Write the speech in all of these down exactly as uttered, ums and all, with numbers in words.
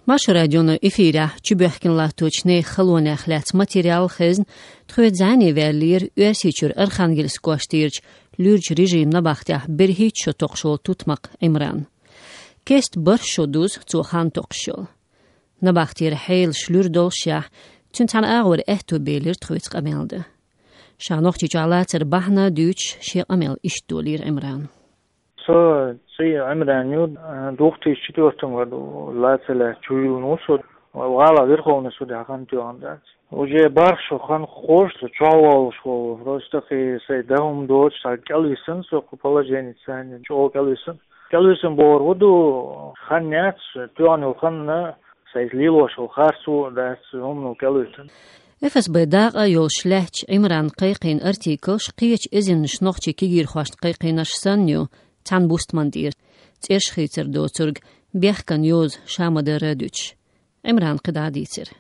Маршо радион эфирехь чубоьхкина латточу нехан халонех лаьцна материал хезна, тхоьца зӀене ваьллера Оьрсийчуьра Архангельск кӀоштарчу луьрачу режиман набахтехь берхӀитта шо токхуш волу тутмакх Ӏимран. Кеста бархӀ шо дузу цо хан токхуш йолу. Набахтера хьелаш луьра долушехь, цуьнан цхьана агӀор аьтто белира тхоьца къамел дан. Ша Нохчийчохь лацар бахьана дуьйцуш, шен къамел иштта долийра Ӏимрана. Со цӀе Ӏимран ю, две тысячи четвёртом году лацар лаьцна чу йиллина ву со. ГӀала Верховный судехь хан тоьхна дац. Уже бархӀ шо хан хууш, со чохь волуш волу, просто кхин сайн дан хӀума доцуш, цхьа кӀелвисина со кху положенеца, чӀогӀа кӀелвисина. КӀелвисина бохург хӀун ду, хан яц, тоьхна йолу хан, сайн лелош йолу харцо а дац, хӀумано кӀелвисина. Эф С Б дакъа йолуш лаьтташ Ӏимрана кхайкхийна артиклаш кхечу эзарнаш нохчийн кегийрхошна кхайкхийнарш санна ю, цхьана бустман тӀера, цӀераш хийцар доцург, бехкан йоза ша ма-дарра а дуьтуш. Ӏимрана кхидӀа а дийцира.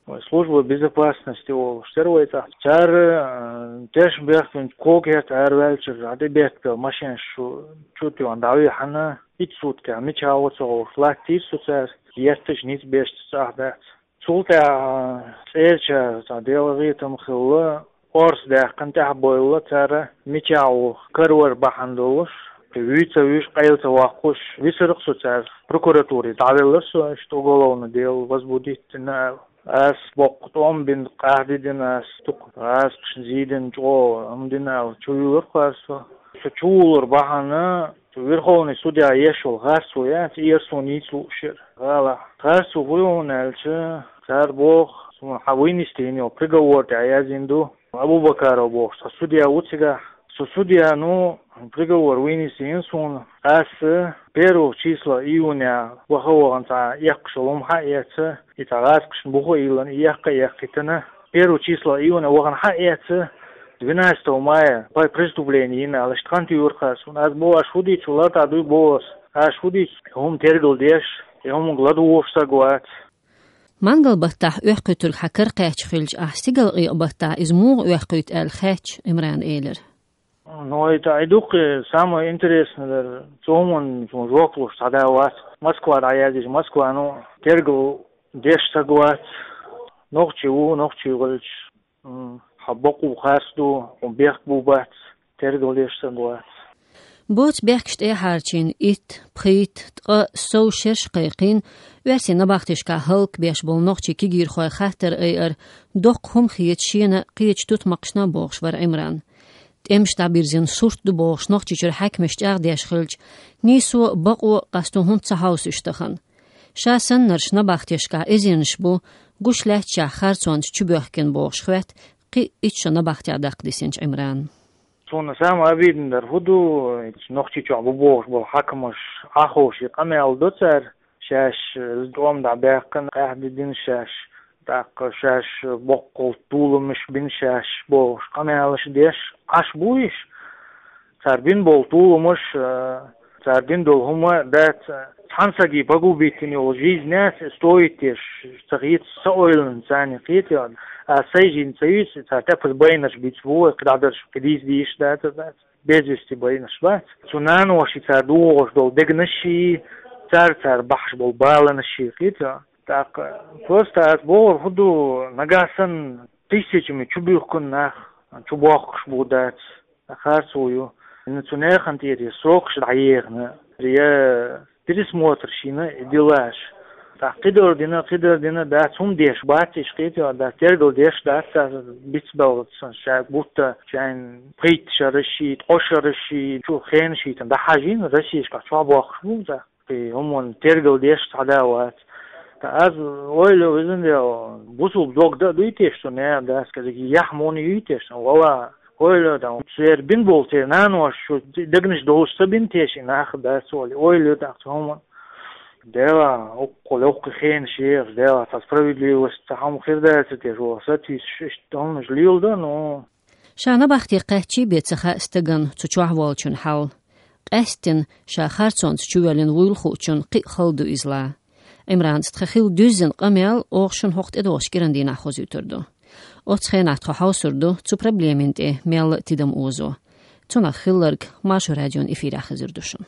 Вай служба безопасности олуш тера вай цӀахь. Цара, э, тешнабехкан кокерта араваьллачуьра, дӀа тӀебеттабелла машенаш чу, чу тоьхна дӀавихьана, итт суткехь мичахь ву ца хууш, латтийра со цара, етташ ницкъ беш цӀахь дац. Цул тӀаьхьа цӀерачара цхьа делахь гӀетам хилла, орца даьккхина тӀаьхьабевлла цара, мичахь ву каравар бахьана долуш, вуьйца вуьйш, къайла ца воккхуш, висира-кх со цара. Прокуратуре дӀавеллера со, иштта уголовный дело возбудить дина аьлла. Ас боккха тӀом бина, къахьди дина ас, дукха гӀазкхашна зийдина, чӀогӀа хӀума дина аьлла, чу вуьйлура-кх ас со. Со чу вуллур бахьана, цу Верховный судья еш йолу харцо яц, эра суна йийца лууш яра гӀалахь. Харцо хӀун ю хьуна аьлча, цара боху, суна хьан вынести йина йолу приговор тӀехь яздина ду. Абубакаров бохуш цхьа судья ву цигахь. Со судьяно приговор вынести йина суна. Ас первого числа июня ваха а вахана цхьа эккхаш йолу хӀума хьаэца, и цхьа гӀазкхашна буха а йиллина, и эккха а эккхийтина. Первого числа июня вахана хьаэца, двенадцатого мая по преступление йина аьлла, иштта хан туьйхира-кх ас суна. Ас боху, аш хӀун дийцу, лартӀахь дуй боху ас. Аш хӀун дийцу, хӀума тергал деш, и хӀуманга ладугӀуш стаг вац. Мангал баттахь оьхкуьйтург хьан кара кхаьчна хилча, ахь стигалкъекъа баттахь иза муха оьхкуьйту аьлла хаьттича, Ӏимрана элира. Ну, это и дуккха самое интересное дара. Цу хӀуманна жоп луш цхьа да вац. Москва дӀаяздича, Москвано тергал деш стаг вац. Нохчи ву, нохчи хилча, м, хьан бакъо харц ду, хьуна бехк бу бац, тергал деш стаг вац. Боцу бехкаш тӀехьарчийна итт, пхийтта, ткъа, сов шераш кхайкхийна, оьрсийн набахтешкахь хӀаллакбеш болу нохчийн кегийрхойн хаттар айар, доккха хӀума хета шена кхечу тутмакхашна а бохуш вара Ӏимран. ТӀемаш дӀабирзина сурт ду бохуш Нохчийчуьра хьаькамаш чӀагӀдеш хилча, нийсо, бакъо, къасто хӀунда ца хьовсуш тахана. Ша саннарш набахтешкахь эзарнаш бу, гуш лаьттачохь харцонца чубоьхкина бохуш хоьтту кхин итт шо набахтехь даккха дисинчу Ӏимрана. Суна самое обидное дара хӀун ду, Нохчийчохь бу бохуш болу хьаькамаш, Ӏаховший къамел до цара, шаьш, э, тӀом дӀабаьккхина, къаьхьа дина шаьш, тӀаккха шаьш боккхал толамаш бина шаьш бохуш къамелаш деш, Ӏаш бу уьш. Цара бина болу толамаш, э, цара дина долу хӀума дац, цхьана саги погубить йина йолу жизнь яц, стоит еш, ца хета, ца ойланаш царна кхета, а сайн жин ца юьйцу, цара тӀепаза байнарш бийца бу вай, кхидӀа дарш кхидӀа дийца дийш дац, дац. Без вести байнарш бац. Цу наноши цара дохош долу дегнаши, цара, цара бахьаш болу баланаши кхета. ТӀаккха просто ас бохург хӀун ду, нагахь санна тысячами чубуьхкина нах, чубохкуш бу дац, харцо ю. Цу нехан тӀера я срокаш дӀаехна, я пересмотр шина и делаш. ТӀаккха кхидӀа дина, кхидӀа дина дац, хӀума деш бац, иштта кхета, дац, тергал деш дац, дац, бицбелла сан ша гутта, шайн пхийтта шараши, ткъо шараши, чу хенаш хӀиттина дӀахьажийна, Россешкахь чохь бохкуш бу, дац. Кхин хӀуманна тергал деш цхьа да вац. Ткъа ас ойла везан дел, бусулба дог дан а дуй те, что не дац, кадиг яхь муна юй те, что вала, ойла дан, церан бин болу церан нанош шу дегнаш долуш ца бин те, ши нах дац, оли, ойла дан цу хӀуманна. Дела, уккху левккхи хенаш ехаш, дела, цхьа справедливость, цхьа хӀума хир дац те, шу сатуьйсуш, иштта хӀуманаш лийла дан, ну. Ша набахте кхаьччий бен ца хаьа стаган цу чохь волчун хьал. Къаьсттина ша харцонца чувоьллина вуйла хуучун кхин а хала ду иза ла. Ӏимранца тхан хилла дуьззина къамел оха шуна хӀокху тӀедогӀучу кӀиран дийнахь хозуьйтур ду. Оццу хенахь тхо хьовсур ду цу проблемин тӀе мелла а тидам озо. Цунах хилларг Маршо радион эфирехь хезар ду шуна.